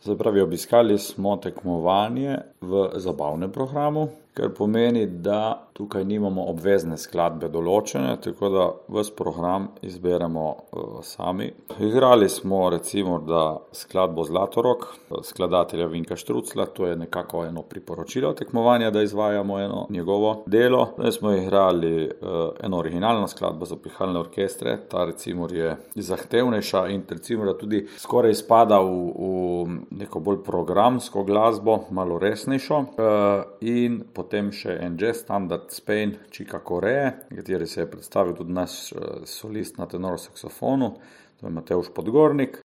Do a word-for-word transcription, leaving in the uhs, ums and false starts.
Se pravi, obiskali smo tekmovanje v zabavnem programu, kar pomeni, da tukaj nimamo obvezne skladbe določene, tako da ves program izberemo uh, sami. Igrali smo recimo, da skladbo Zlatorog, skladatelja Vinka Štruclja, to je nekako eno priporočilo tekmovanja, da izvajamo eno njegovo delo. Zdaj smo igrali uh, eno originalno skladbo za pihalne orkestre, ta recimo je zahtevnejša in recimo da tudi skoraj spada v, v neko bolj programsko glasbo, malo resnejšo, uh, in potem še en jazz standard Spain, Chica Corea, kateri se je predstavil tudi naš solist na tenor saksofonu, to je Matevž Podgornik.